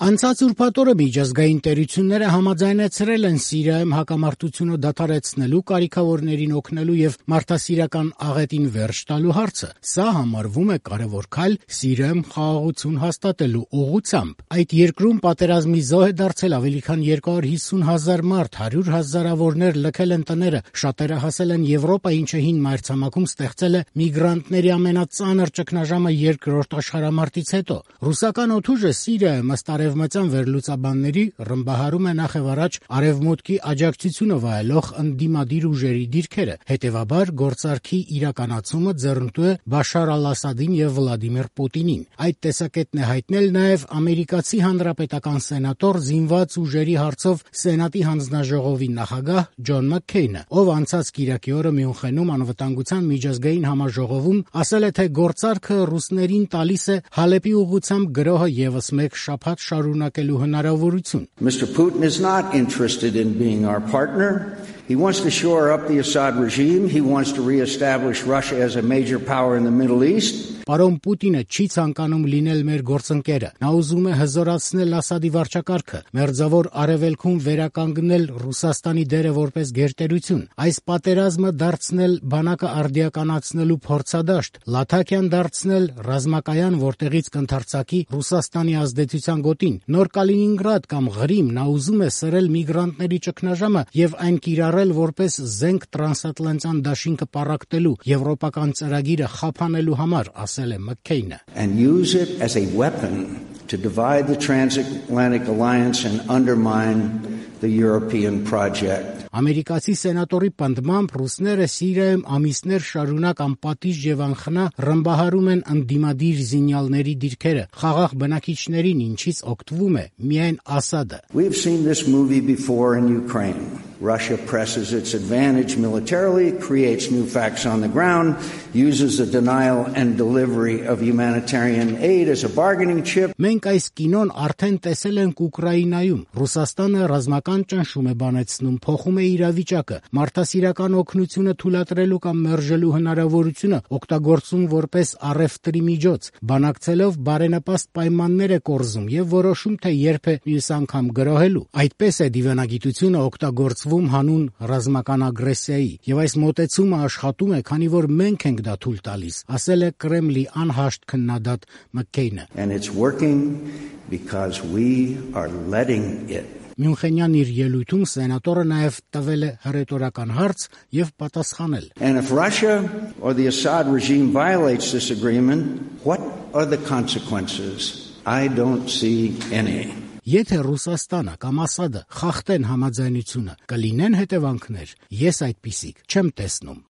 Անցած ուրբաթ օրը միջազգային տերությունները համաձայնեցրել են Սիրիայում հակամարտությունը դադարեցնելու, կարիքավորներին օգնելու եւ մարդասիրական աղետին վերջ տալու հարցը։ Սա համարվում է կարևոր քայլ Սիրիայում խաղաղություն հաստատելու ուղղությամբ։ Այդ երկրում պատերազմի զոհ է դարձել ավելի քան 250,000 մարդ, 100,000-ավորներ լքել են տները, շատերը հասել են Եվրոպա, ինչը հին մայրցամաքում ստեղծել է միգրանտների ամենածանր ճգնաժամը երկրորդ աշխարհամարտից հետո։ Ռուսական օդուժը Սիրիայում ըստ արևմտյան վերլուծաբանների ռմբահարում է նախևառաջ արևմուտքի աջակցությունը վայելող ընդդիմադիր ուժերի դիրքերը։ Հետևաբար գործարքի իրականացումը ձեռնտու է Բաշար Ալ-Ասադին եւ Վլադիմիր Պուտինին։ Այդ տեսակետն է հայտնել նաեւ ամերիկացի հանրապետական սենատոր զինված ուժերի հարցով Սենատի հանձնաժողովի նախագահ Ջոն Մաքքեյնը, ով անցած կիրակի օրը Մյունխենում անվտանգության միջազգային համաժողովում ասել է, թե գործարքը ռուսներին տալիս է Հալեպի ուղղությամբ գրոհը եւս մեկ շաբաթ շարունակելու հնարավորություն։ Mr. Putin is not interested in being our partner. He wants to shore up the Assad regime. He wants to reestablish Russia as a major power in the Middle East. Պարոն Պուտինը չի ցանկանում լինել մեր գործընկերը։ Նա ուզում է հզորացնել Ասադի վարչակարգը, մերձավոր արևելքում վերականգնել Ռուսաստանի դերը որպես գերտերություն, այս պատերազմը դարձնել բանակը արդիականացնելու փորձադաշտ, Լաթաքիան դարձնել ռազմակայան, որտեղից կընթարցակի Ռուսաստանի ազդեցության գոտին, նոր Կալինինգրադ կամ Ղրիմ։ Նա ուզում է սրել միգրանտների ճգնաժամը եւ այն կիրառել որպես զենք տրանսատլանտյան դաշինքը պառակտելու, եվրոպական ծրագիրը խափանելու համար, ասել է Մաքքեյնը։ And use it as a weapon to divide the transatlantic alliance and undermine the European project. Ամերիկացի սենատորի պնդմամբ ռուսները Սիրիայում ամիսներ շարունակ անպատիժ եւ անխնա ռմբահարում են ընդդիմադիր զինյալների դիրքերը, խաղաղ բնակիչներին, ինչից օգտվում է միայն Ասադը։ We've seen this movie before in Ukraine. Russia presses its advantage militarily, creates new facts on the ground, uses the denial and delivery of humanitarian aid as a bargaining chip. Մենք այս կինոն արդեն տեսել ենք Ուկրաինայում։ Ռուսաստանը ռազմական ճնշում է բանեցնում, փոխում է իրավիճակը, մարդասիրական օգնությունը թույլատրելու կամ մերժելու հնարավորությունը օգտագործում որպես առևտրի միջոց, բանակցելով բարենպաստ պայմաններ է կորզում եւ որոշում, թե երբ է մյուս անգամ գրոհելու։ Այդպես է դիվանագիտությունը օգտագործվում հանուն ռազմական ագրեսիայի, եւ այս մոտեցումը աշխատում է, քանի որ մենք ենք դա թույլ տալիս, ասել է Կրեմլի անհաշտ քննադատ Մաքքեյնը։ And it's working because we are letting it. Մյունխենյան իր ելույթում սենատորը նաև տվել է հռետորական հարց եւ պատասխանել. And if Russia or the Assad regime violates this agreement, what are the consequences? I don't see any. Եթե Ռուսաստանը կամ Ասադը խախտեն համաձայնությունը, կլինեն հետևանքներ։ Ես այդպիսիք չեմ տեսնում։